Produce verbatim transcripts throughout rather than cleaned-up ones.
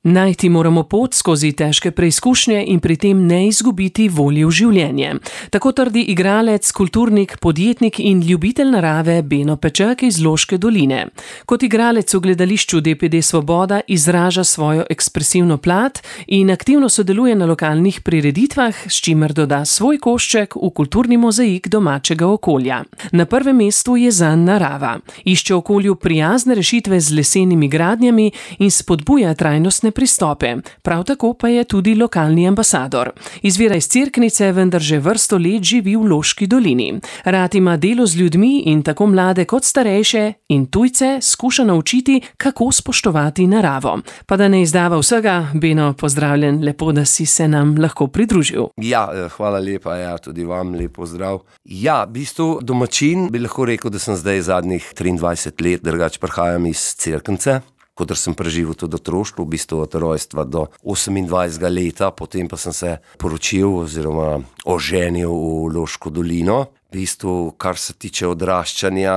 Najti moramo pot skozi težke preizkušnje in pri tem ne izgubiti volje v življenje. Tako trdi igralec, kulturnik, podjetnik in ljubitelj narave Beno Peček iz Loške doline. Kot igralec v gledališču D P D Svoboda izraža svojo ekspresivno plat in aktivno sodeluje na lokalnih prireditvah, s čimer doda svoj košček v kulturni mozaik domačega okolja. Na prvem mestu je zanj narava. Išče okolju prijazne rešitve z lesenimi gradnjami in spodbuja trajnostne pristope. Prav tako pa je tudi lokalni ambasador. Izvira iz Cerknice, vendar že vrsto let živi v Loški dolini. Rad ima delo z ljudmi in tako mlade kot starejše in tujce skuša naučiti, kako spoštovati naravo. Pa da ne izdava vsega, Beno, pozdravljen, lepo, da si se nam lahko pridružil. Ja, hvala lepa, ja, tudi vam lep pozdrav. Ja, v bistvu domačin bi lahko rekel, da sem zdaj zadnjih triindvajset let, drugače prihajam iz Cerknice. Kodr sem preživel tudi otroštvo, v bistvu od rojstva do osemindvajsetega leta, potem pa sem se poročil oziroma oženil v Loško dolino. V bistvu, kar se tiče odraščanja,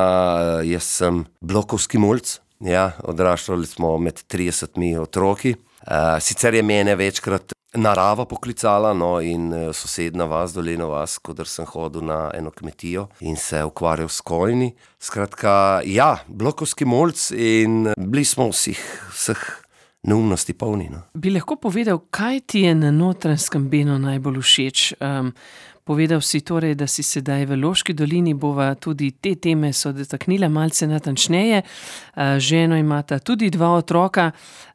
jaz sem blokovski mulc, ja, odraščali smo med tridesetimi otroki. Uh, sicer je mene večkrat narava poklicala, no, in sosedna vas, Dolena vas, kodr sem hodil na eno kmetijo in se ukvarjal s konji. Skratka, ja, blokovski mulc in bili smo vseh, vseh neumnosti polni, no. Bi lahko povedal, kaj ti je na Notranjskem, Beno, najbolj všeč? Um, Povedal si torej, da si sedaj v Loški dolini, bova tudi te teme so dotaknila malce natančneje. Ženo imata tudi dva otroka.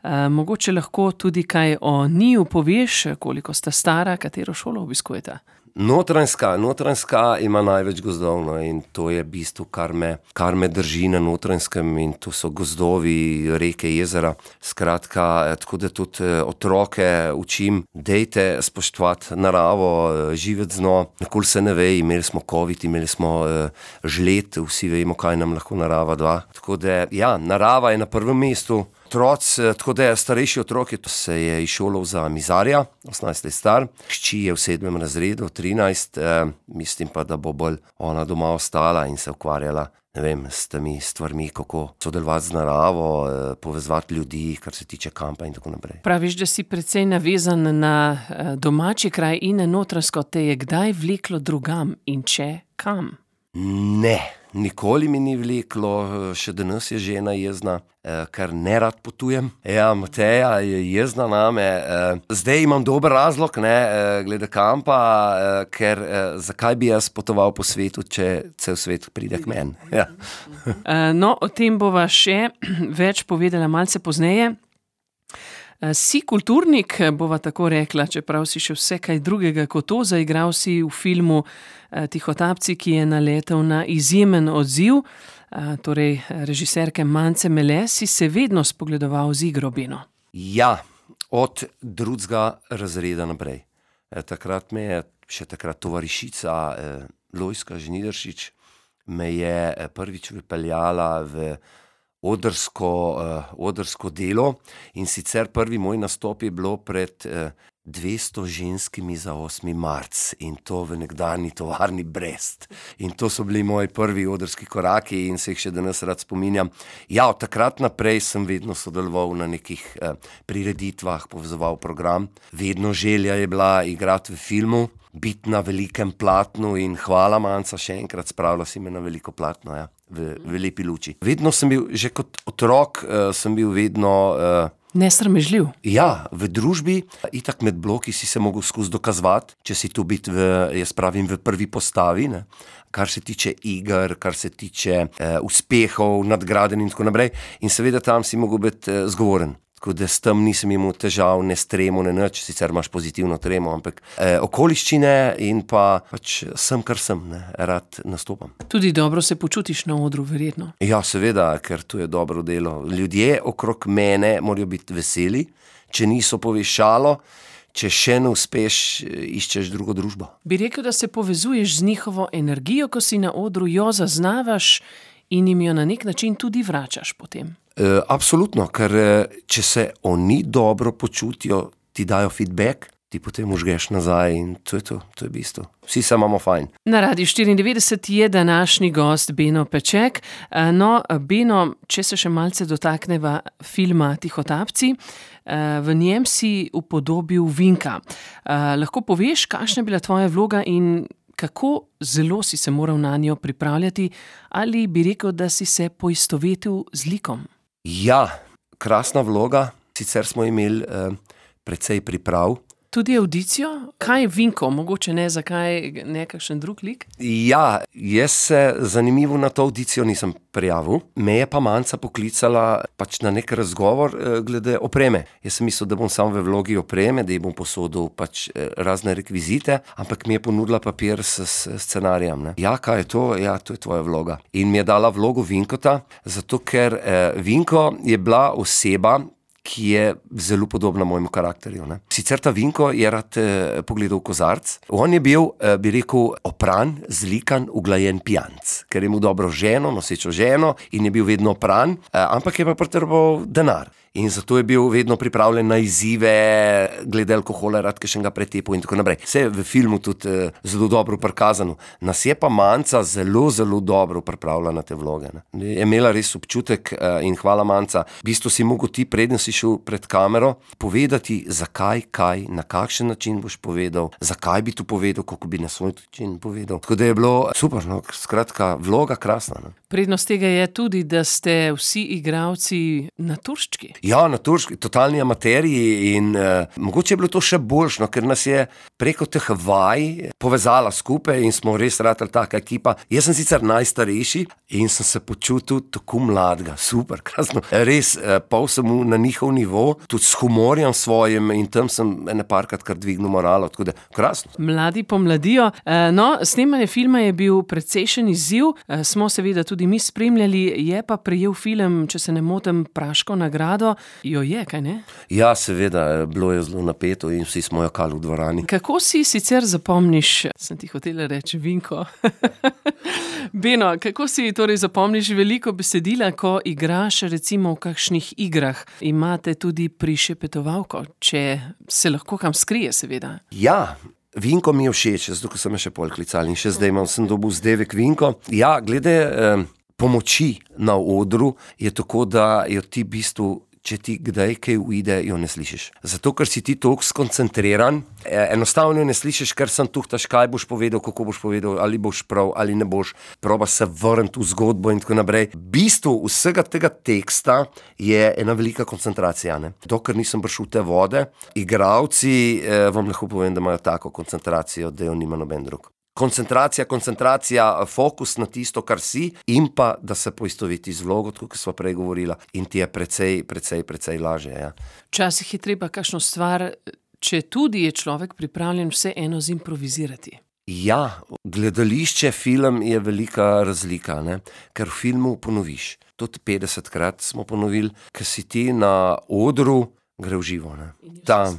Mogoče lahko tudi kaj o njiju poveš, koliko sta stara, katero šolo obiskujeta? Notranjska, Notranjska ima največ gozdov, no, in to je v bistvu, kar me, kar me drži na Notranjskem, in to so gozdovi, reke, jezera. Skratka, tako da tudi otroke učim, dejte spoštovati naravo, živeti z njo. Nikoli se ne ve, imeli smo covid, imeli smo uh, žled, vsi vemo, kaj nam lahko narava da. Tako da, ja, narava je na prvem mestu. Otroc, tako da je starejši otrok, se je izšolal za mizarja, osemnajst let star, hči je v sedmem razredu, trinajst, eh, mislim pa, da bo bolj ona doma ostala in se ukvarjala, ne vem, s temi stvarmi, kako sodelovati z naravo, eh, povezovati ljudi, kar se tiče kampa in tako naprej. Praviš, da si precej navezan na eh, domači kraj in na Notranjsko, te je kdaj vleklo drugam in če kam? Ne. Nikoli mi ni vleklo, še danes je žena jezna, eh, ker ne rad potujem. Ja, Mateja je jezna name. Eh, zdaj imam dober razlog, ne, eh, glede kampa, eh, ker eh, zakaj bi jaz potoval po svetu, če cel svet pride k meni. Ja. No, o tem bova še več povedala malce pozneje. Si kulturnik, bova tako rekla, čeprav si še vse kaj drugega kot to, zaigral si v filmu Tihotapci, ki je naletel na izjemen odziv, torej režiserke Mance Mele, si se vedno spogledoval z igro, Beno. Ja, od drugega razreda naprej. Takrat me je, še takrat tovarišica Lojska Žnidaršič, me je prvič vypeljala v Odrsko, uh, odrsko delo, in sicer prvi moj nastop je bilo pred uh, dvesto ženskimi za osmi marec, in to v nekdanji tovarni Brest. In to so bili moji prvi odrski koraki in se jih še danes rad spominjam. Ja, od takrat naprej sem vedno sodeloval na nekih uh, prireditvah, povezoval program. Vedno želja je bila igrati v filmu, biti na velikem platnu, in hvala, Manca, še enkrat spravila si me na veliko platno, ja. V, v lepi luči. Vedno sem bil, že kot otrok, uh, sem bil vedno... Uh, Nesramežljiv. Ja, v družbi, itak med bloki si se mogel skozi dokazovati, če si tu biti v, jaz pravim, v prvi postavi, ne? Kar se tiče iger, kar se tiče uh, uspehov, nadgraden in tako naprej. In seveda tam si mogel biti uh, zgovoren. Tako da s tem nisem imel težav, ne s tremo, ne nič, sicer imaš pozitivno tremo, ampak eh, okoliščine in pa pač sem, kar sem, ne, rad nastopam. Tudi dobro se počutiš na odru, verjetno. Ja, seveda, ker tu je dobro delo. Ljudje okrog mene morajo biti veseli, če niso poveš šalo, če še ne uspeš, iščeš drugo družbo. Bi rekel, da se povezuješ z njihovo energijo, ko si na odru, jo zaznavaš in jim jo na nek način tudi vračaš potem. Uh, absolutno, ker če se oni dobro počutijo, ti dajo feedback, ti potem užgeš nazaj in to je to, to je bistvo. Vsi se imamo fajn. Na Radiu štiriindevetdeset je današnji gost Beno Peček. No, Beno, če se še malce dotakneva filma Tihotapci, v njem si upodobil Vinka. Lahko poveš, kakšna je bila tvoja vloga in kako zelo si se moral na njo pripravljati, ali bi rekel, da si se poistovetil z likom? Ja, krasna vloga, sicer smo imeli eh, precej priprav. Tudi audicijo? Kaj je Vinko? Mogoče ne, zakaj ne kakšen drug lik? Ja, jaz se zanimivo na to audicijo nisem prijavil. Me je pa Manca poklicala pač na nek razgovor eh, glede opreme. Jaz sem mislil, da bom sam v vlogi opreme, da ji bom posodil pač eh, razne rekvizite, ampak mi je ponudila papir s, s scenarijem. Ne. Ja, kaj je to? Ja, to je tvoja vloga. In mi je dala vlogo Vinkota, zato ker eh, Vinko je bila oseba, ki je zelo podobna mojemu karakterju. Ne. Sicer ta Vinko je rad eh, pogledal kozarc. On je bil, eh, bi rekel, opran, zlikan, uglajen pijanc, ker je mu dobro ženo, nosečo ženo in je bil vedno opran, eh, ampak je pa potreboval denar. In zato je bil vedno pripravljen na izzive, glede alkohola, rad kakšnega pretepu in tako naprej. Vse je v filmu tudi eh, zelo dobro prikazano. Nas je pa Manca zelo, zelo dobro pripravila na te vloge. Ne. Je imela res občutek eh, in hvala Manca. V bistvu si mogel ti, preden si šel pred kamero, povedati, zakaj, kaj, na kakšen način boš povedal, zakaj bi to povedal, kako bi na svoj način povedal. Tako da je bilo super, no, skratka, vloga krasna. Ne. Prednost tega je tudi, da ste vsi igralci naturščki. Ja, naturški, totalni amaterji in uh, mogoče je bilo to še boljšno, ker nas je preko teh vaj povezala skupaj in smo res ratali taka ekipa. Jaz sem sicer najstarejši in sem se počutil tako mladega, super, krasno. Res, uh, pol sem na njihov nivo, tudi s humorjem svojim in tam sem ene parkrat kar dvignil moralo, tako da krasno. Mladi pomladijo. Uh, no, snemanje filma je bil precejšen izziv, uh, smo seveda tudi mi spremljali, je pa prejel film, če se ne motim, Praško nagrado. Jo je, kaj ne? Ja, seveda, bilo je zelo napeto in vsi smo jokali v dvorani. Kako si sicer zapomniš, sem ti hotela reči Vinko, Beno, kako si torej zapomniš veliko besedila, ko igraš recimo v kakšnih igrah? Imate tudi prišepetovalko, če se lahko kam skrije, seveda. Ja, Vinko mi je všeč, zato ko sem me še pol klicali in še zdaj imam, sem dobil zdevek Vinko. Ja, glede eh, pomoči na odru je tako, da jo ti v bistvu, če ti kdaj kaj uide, jo ne slišiš. Zato, ker si ti toliko skoncentriran, enostavno ne slišiš, ker sem tuhtaš, kaj boš povedal, kako boš povedal, ali boš prav, ali ne boš, proba se vrniti v zgodbo in tako naprej. V bistvu vsega tega teksta je ena velika koncentracija. Ne? Dokler nisem prišel v te vode, igralci, eh, vam lahko povem, da imajo tako koncentracijo, da jo nima noben drug. Koncentracija, koncentracija, fokus na tisto, kar si in pa, da se poistoveti z vlogo, tako kot sva prej govorila, in ti je precej, precej, precej lažje. Ja. Včasih je treba kakšno stvar, če tudi je človek pripravljen vse eno zimprovizirati. Ja, gledališče, film je velika razlika, ne? Ker v filmu ponoviš. Tudi petdesetkrat smo ponovili, ker si ti na odru, gre v živo. Ne? Tam,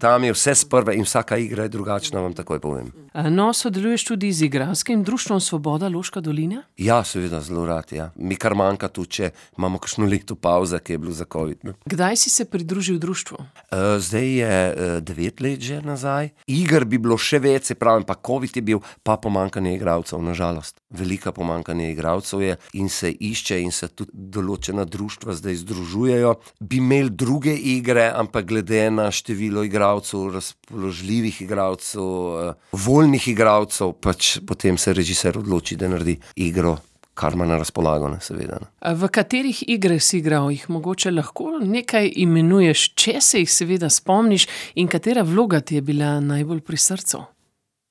tam je vse sprve in vsaka igra je drugačna, vam takoj povem. No, sodeluješ tudi z igralskim društvom Svoboda Loška dolina? Ja, seveda, zelo rad, ja. Mi kar manjka tu, če imamo kakšno leto pauze, ki je bilo za covid. Ne? Kdaj si se pridružil društvu? Uh, zdaj je uh, devet let že nazaj. Iger bi bilo še več, se pravim, pa covid je bil, pa pomanjkanje igralcev, nažalost. Velika pomanjkanje igralcev je in se išče in se tudi določena društva zdaj združujejo. Bi imeli druge igre, ampak glede na število igralcev, razpoložljivih igralcev, uh, voljnih igralcev, pač potem se režiser odloči, da naredi igro, kar ima na razpolago, ne, seveda. Ne. V katerih igrah si igral? Jih mogoče lahko nekaj imenuješ, če se jih seveda spomniš, in katera vloga ti je bila najbolj pri srcu?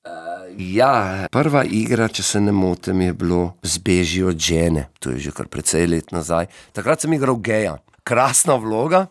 Uh, ja, prva igra, če se ne motim, je bilo Zbeži od žene. To je že kar precej let nazaj. Takrat sem igral geja. Krasna vloga.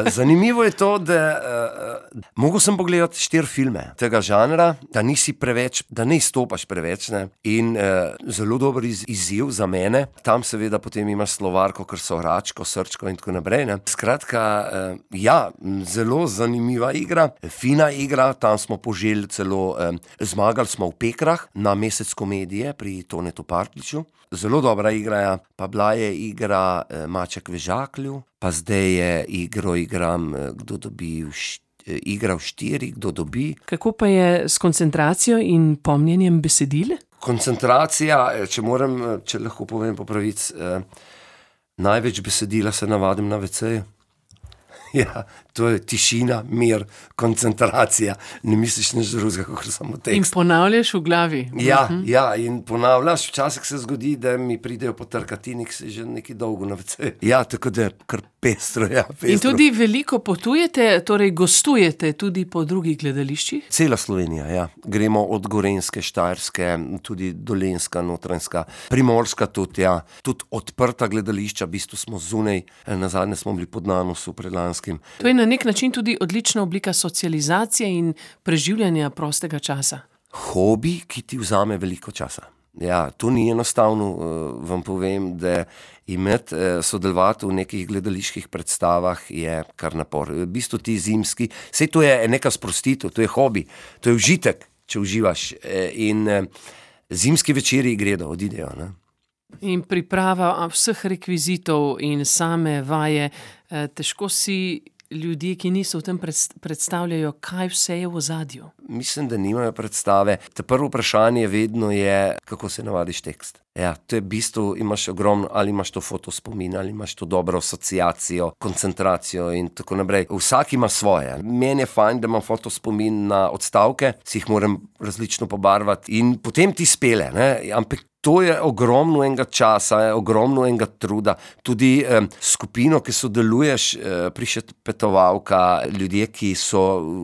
Zanimivo je to, da uh, mogel sem pogledati štiri filme tega žanra, da nisi preveč, da ne izstopaš preveč, ne? In uh, zelo dober iz, izziv za mene. Tam seveda potem imaš slovarko, ker so Račko, Srčko in tako naprej. Ne? Skratka, uh, ja, zelo zanimiva igra, fina igra, tam smo poželi celo, um, zmagali smo v Pekrah na Mesec komedije pri Tonetu Partliču. Zelo dobra igra, ja. Pa bila je igra uh, Maček v žaklju, pa zdaj je igro igram, uh, kdo dobi igra v štiri, kdo dobi. Kako pa je s koncentracijo in pomnjenjem besedil? Koncentracija, če moram, če lahko povem po pravici, eh, največ besedila se navadim na veceju. Ja, to je tišina, mir, koncentracija. Ne misliš nič drugega, kakor samo tekst. In ponavljaš v glavi. Ja, uh-huh. ja, in ponavljaš. Včasih se zgodi, da mi pridejo potrkati in si že nekaj dolgo na veceju. Ja, tako da kar pestro, ja, pestro. In tudi veliko potujete, torej gostujete tudi po drugih gledališčih? Cela Slovenija, ja. Gremo od Gorenjske, Štajerske, tudi Dolenjska, Notranjska, Primorska tudi, ja. Tudi odprta gledališča, v bistvu smo zunaj, nazadnje smo bili pod Nanosu predlanskim. To je na nek način tudi odlična oblika socializacije in preživljanja prostega časa. Hobi, ki ti vzame veliko časa. Ja, to ni enostavno, uh, vam povem, da imeti, uh, sodelovati v nekih gledaliških predstavah je kar napor. V bistvu ti zimski, sej to je neka sprostitev, to je hobi, to je užitek, če uživaš. In uh, zimski večeri gredo, odidejo, ne. In priprava vseh rekvizitov in same vaje, eh, težko si ljudje, ki niso v tem predstavljajo, kaj vse je v ozadju. Mislim, da nimajo predstave. Te prvo vprašanje vedno je, kako se navadiš tekst. Ja, to je v bistvu, imaš ogromno, ali imaš to fotospomin, ali imaš to dobro asociacijo, koncentracijo in tako naprej. Vsak ima svoje. Meni je fajn, da imam fotospomin na odstavke, si jih moram različno pobarvati in potem ti spele, ne, ampak to je ogromno enega časa, je ogromno enega truda. Tudi eh, skupino, ki sodeluješ, eh, prišepetovalka, ljudje, ki so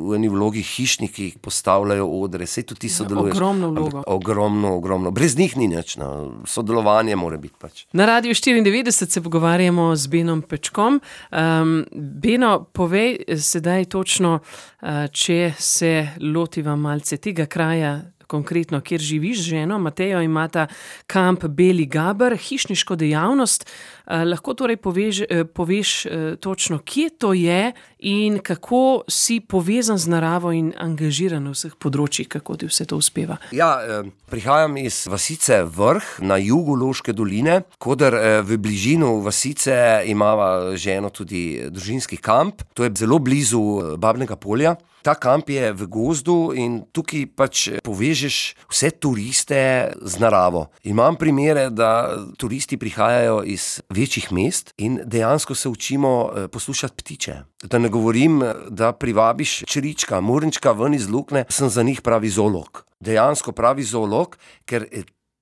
v eni vlogi hišniki, postavljajo odre, sej tudi ti sodeluješ. Ogromno vlogo. Ampak, ogromno, ogromno. Brez njih ni nič, no. Sodelovanje mora biti pač. Na Radiu štiriindevetdeset se pogovarjamo z Benom Pečkom. Um, Beno, povej sedaj točno, uh, če se lotiva malce tega kraja, konkretno, kjer živiš z ženo, Matejo, imata kamp Beli Gaber, hišniško dejavnost. Eh, lahko torej poveš, eh, poveš eh, točno, kje to je in kako si povezan z naravo in angažiran v vseh področjih, kako ti vse to uspeva? Ja, eh, prihajam iz vasice Vrh na jugu Loške doline, kodar eh, v bližino vasice imava ženo tudi družinski kamp, to je zelo blizu Babnega Polja. Ta kamp je v gozdu in tukaj pač povežeš vse turiste z naravo. Imam primere, da turisti prihajajo iz večjih mest in dejansko se učimo poslušati ptiče. Da ne govorim, da privabiš črička, morenčka ven iz lukne, sem za njih pravi zoolog. Dejansko pravi zoolog, ker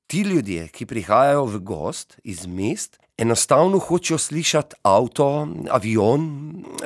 ti ljudje, ki prihajajo v gozd iz mest, enostavno hočejo slišati avto, avion,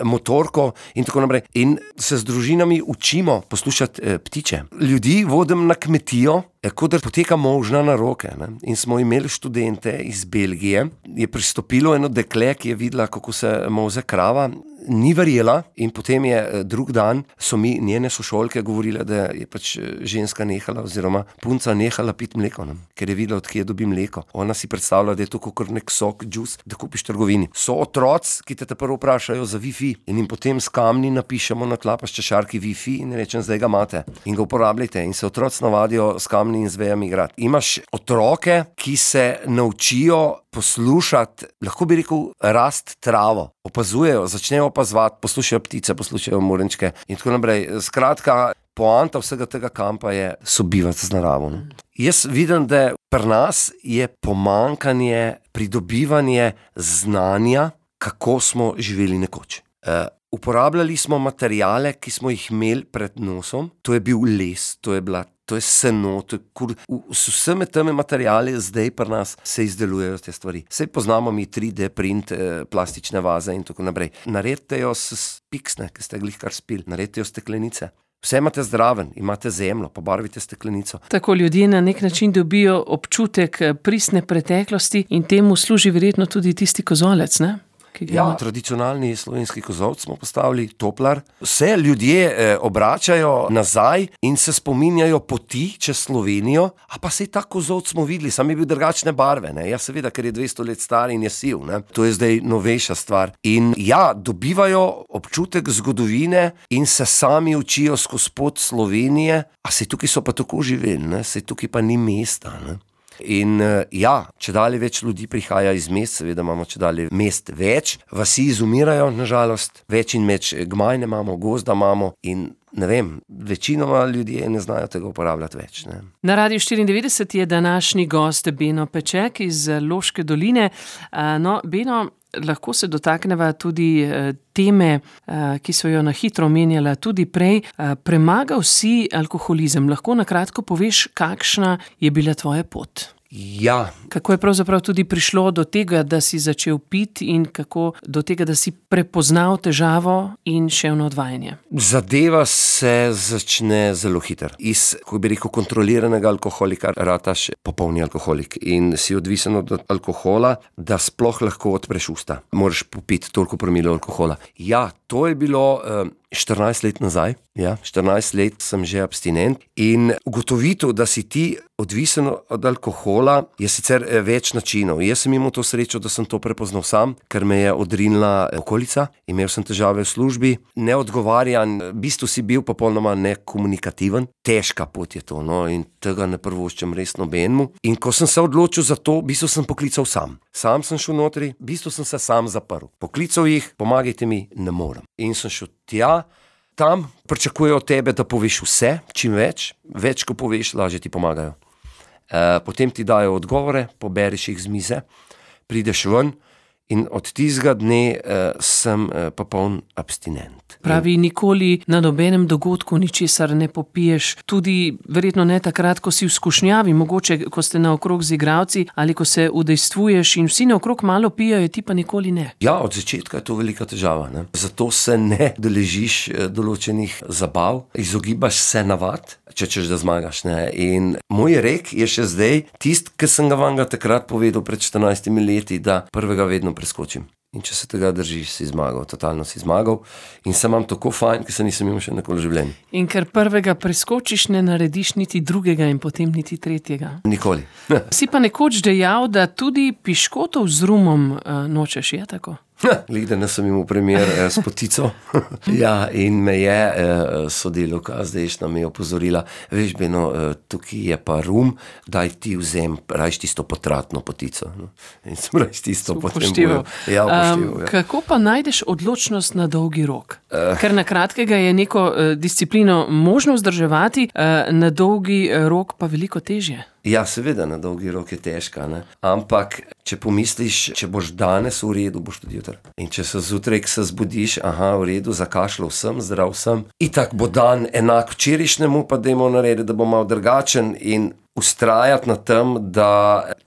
motorko in tako naprej. In se z družinami učimo poslušati eh, ptiče. Ljudi vodim na kmetijo, eh, kodar poteka možna na roke. Ne? In smo imeli študente iz Belgije. Je pristopilo eno dekle, ki je videla, kako se molze krava. Ni verjela in potem je drug dan, so mi njene sošolke govorile, da je pač ženska nehala oziroma punca nehala piti mleko, ne? Ker je videla, od kje dobi mleko. Ona si predstavlja, da je to kakor nek sok, džus, da kupiš v trgovini. So otroci, ki te te prvo vprašajo za Wi-Fi in jim potem s kamni napišemo na tla pa s češarki Wi-Fi in rečem, zdaj ga imate in ga uporabljajte. In se otroci navadijo s kamni in z vejami igrati. Imaš otroke, ki se naučijo poslušati, lahko bi rekel, rast travo. Opazujejo, začnejo opazovati, poslušajo ptice, poslušajo morenčke in tako naprej. Skratka, poanta vsega tega kampa je sobivati z naravo. Ne? Jaz vidim, da pri nas je pomanjkanje, pridobivanje znanja, kako smo živeli nekoč. Uh, uporabljali smo materijale, ki smo jih imeli pred nosom, to je bil les, to je bila To je seno, to je kur... S vsemi temi materijali zdaj pri nas se izdelujejo te stvari. Sej poznamo mi tri D print, eh, plastične vaze in tako naprej. Naredite jo s piksne, ki ste glih kar spili. Naredite jo steklenice. Vse imate zdraven, imate zemljo, pobarvite steklenico. Tako ljudje na nek način dobijo občutek pristne preteklosti in temu služi verjetno tudi tisti kozolec, ne? Ja, tradicionalni slovenski kozolec smo postavili, toplar. Vse ljudje eh, obračajo nazaj in se spominjajo poti čez Slovenijo, a pa sej tak kozolec smo videli, sam je bil drugačne barve, ne. Ja, seveda, ker je dvesto let star in je siv, ne. To je zdaj novejša stvar. In ja, dobivajo občutek zgodovine in se sami učijo skozi pot Slovenije, a sej tukaj so pa tako živeli, ne, sej tukaj pa ni mesta, ne. In ja, če dalje več ljudi prihaja iz mest, seveda imamo če dalje mest več, vasi izumirajo, nažalost, več in več gmajne imamo, gozda imamo in ne vem, večinoma ljudje ne znajo tega uporabljati več. Ne. Na Radiu štiriindevetdeset je današnji gost Beno Peček iz Loške doline. No, Beno, lahko se dotakneva tudi teme, ki so jo na hitro omenjala tudi prej. Premagal si alkoholizem. Lahko na kratko poveš, kakšna je bila tvoja pot? Ja. Kako je pravzaprav tudi prišlo do tega, da si začel piti in kako do tega, da si prepoznal težavo in šel na odvajanje? Zadeva se začne zelo hitro. Iz, kako bi rekel, kontroliranega alkoholika rataš popolni alkoholik in si odvisen od alkohola, da sploh lahko odpreš usta. Moraš popiti toliko promilov alkohola. Ja, to je bilo uh, štirinajst let nazaj. Ja, štirinajst let sem že abstinent in ugotovitev, da si ti odvisen od alkohola, je sicer več načinov. Jaz sem imel to srečo, da sem to prepoznal sam, ker me je odrinila okolica. Imel sem težave v službi, neodgovarjan, v bistvu si bil popolnoma nekomunikativen. Težka pot je to, no, in tega ne prvoščem res nobenemu. In ko sem se odločil za to, v bistvu sem poklical sam. Sam sem šel notri, v bistvu sem se sam zaprl. Poklical jih, pomagajte mi, ne morem. In sem šel tja, tam pričakujejo od tebe, da poveš vse, čim več. Več, ko poveš, lažje ti pomagajo. E, potem ti dajo odgovore, poberiš jih z mize, prideš ven in od tistega dne e, sem e, popoln abstinent. Pravi, nikoli na nobenem dogodku ničesar ne popiješ, tudi verjetno ne takrat, ko si v skušnjavi, mogoče, ko ste naokrog z igralci ali ko se udejstvuješ in vsi naokrog malo pijajo, ti pa nikoli ne. Ja, od začetka je to velika težava, ne? Zato se ne deležiš določenih zabav, izogibaš se navad, če češ da zmagaš, ne? In moj rek je še zdaj tist, ki sem ga vam ga takrat povedal pred štirinajstimi leti, da prvega vedno preskočim. In če se tega držiš, si zmagal, totalno si zmagal. In se imam tako fajn, ker se nisem imel še nikoli v življenju. In ker prvega preskočiš, ne narediš niti drugega in potem niti tretjega. Nikoli. Si pa nekoč dejal, da tudi piškotov z rumom uh, nočeš, je tako? Glih, da ne sem imel primer eh, s potico. Ja, in me je eh, sodelovka zdajšnja me je opozorila, veš, Beno, eh, tukaj je pa rum, daj ti vzem, rajš tisto potratno potico. No? In sem rajš tisto upošteval. Ja, upošteval, um, ja. Kako pa najdeš odločnost na dolgi rok? Uh. Ker na kratkega je neko uh, disciplino možno vzdrževati, uh, na dolgi rok pa veliko težje. Ja, seveda, na dolgi rok je težka, ne? Ampak, če pomisliš, če boš danes v redu, boš tudi jutri. In če se zjutraj, ko se zbudiš, aha, v redu, zakašljal sem, zdrav sem, itak bo dan enak včerajšnjemu, pa dajmo narediti, da bo malo drugačen in vztrajati na tem, da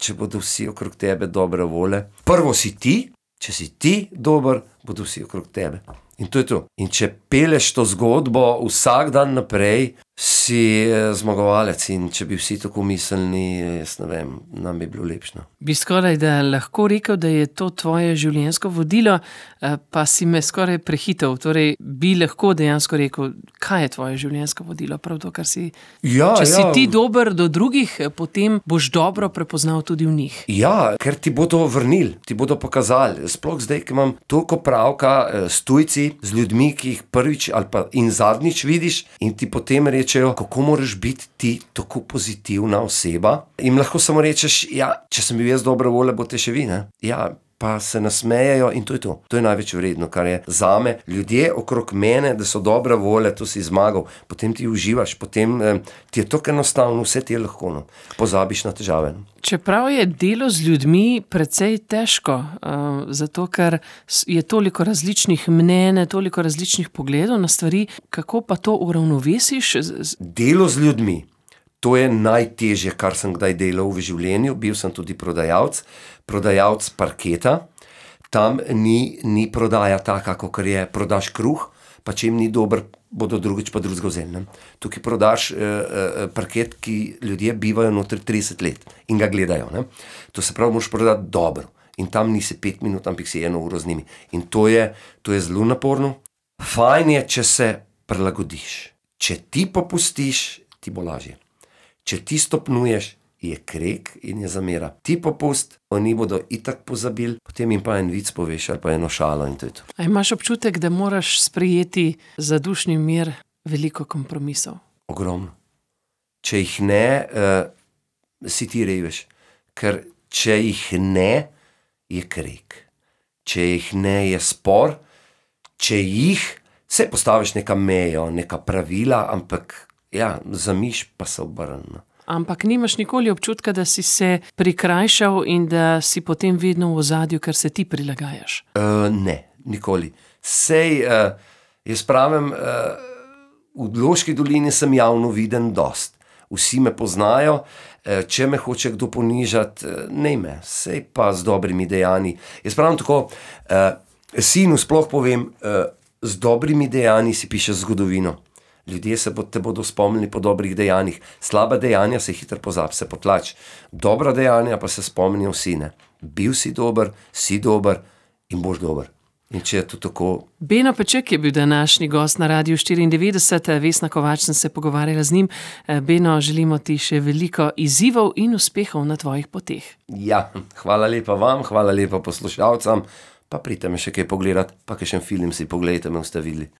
če bodo vsi okrog tebe dobre vole, prvo si ti, če si ti dober, bodo vsi okrog tebe. In to je to. In če peleš to zgodbo vsak dan naprej, si zmagovalec in če bi vsi tako mislili, jaz ne vem, nam bi bilo lepšno. Bi skoraj da lahko rekel, da je to tvoje življenjsko vodilo, pa si me skoraj prehitel. Torej, bi lahko dejansko rekel, kaj je tvoje življenjsko vodilo? Prav to, kar si... Ja, če ja. si ti dober do drugih, potem boš dobro prepoznal tudi v njih. Ja, ker ti bodo vrnili, ti bodo pokazali. Sploh zdaj, ki imam toliko pravka s tujci, z ljudmi, ki jih prvič ali pa in zadnjič vidiš in ti potem rečejo, kako moraš biti ti tako pozitivna oseba. In lahko samo rečeš, ja, če sem bil jaz dobra volja, boste še vi, ne? Ja, pa se nasmejejo in to je to. To je največ vredno, kar je zame. Ljudje okrog mene, da so dobra volja, to si zmagal, potem ti uživaš, potem eh, ti je tako enostavno, vse ti je lahko, no. Pozabiš na težave. No. Čeprav je delo z ljudmi precej težko, uh, zato ker je toliko različnih mnenj, toliko različnih pogledov na stvari, kako pa to uravnovesiš? Delo z ljudmi. To je najtežje, kar sem kdaj delal v življenju. Bil sem tudi prodajalec, prodajalec parketa. Tam ni, ni prodaja taka, kakor je prodaš kruh, pa če jim ni dober, bodo drugič pa drugega vzeli. Tukaj prodaš eh, eh, parket, ki ljudje bivajo notri trideset let in ga gledajo. Ne? To se pravi, moraš prodati dobro. In tam nisi pet minut, ampak si eno uro z njimi. In to je, to je zelo naporno. Fajn je, če se prilagodiš. Če ti popustiš, ti bo lažje. Če ti stopnuješ, je krek in je zamera. Ti popust, oni bodo itak pozabili, potem jim pa en vic poveš ali pa eno šalo in to je to. A imaš občutek, da moraš sprejeti za dušni mir veliko kompromisov? Ogromno. Če jih ne, uh, si ti reveš. ker če jih ne, je krek. Če jih ne, je spor. Če jih, se postaviš neka mejo, neka pravila, ampak ja, zamiš pa se obrne. Ampak nimaš nikoli občutka, da si se prikrajšal in da si potem vedno v ozadju, ker se ti prilagajaš? Uh, ne, nikoli. Sej, uh, jaz pravim, uh, v Loški dolini sem javno viden dost. Vsi me poznajo, uh, če me hoče kdo ponižati, uh, ne me, sej pa z dobrimi dejanji. Jaz pravim tako, uh, sinu sploh povem, uh, z dobrimi dejanji si pišeš zgodovino. Ljudje se te bodo spomnili po dobrih dejanjih. Slaba dejanja se hitro pozabi, se potlač. Dobra dejanja pa se spomnijo vsi, ne. Bil si dober, si dober in boš dober. In če je to tako... Beno Peček je bil današnji gost na Radiu štiriindevetdeset, Vesna Kovač sem se pogovarjala z njim. Beno, želimo ti še veliko izzivov in uspehov na tvojih poteh. Ja, hvala lepa vam, hvala lepa poslušalcem, pa pridite me še kaj pogledat, pa kakšen film si pogledajte, me boste videli.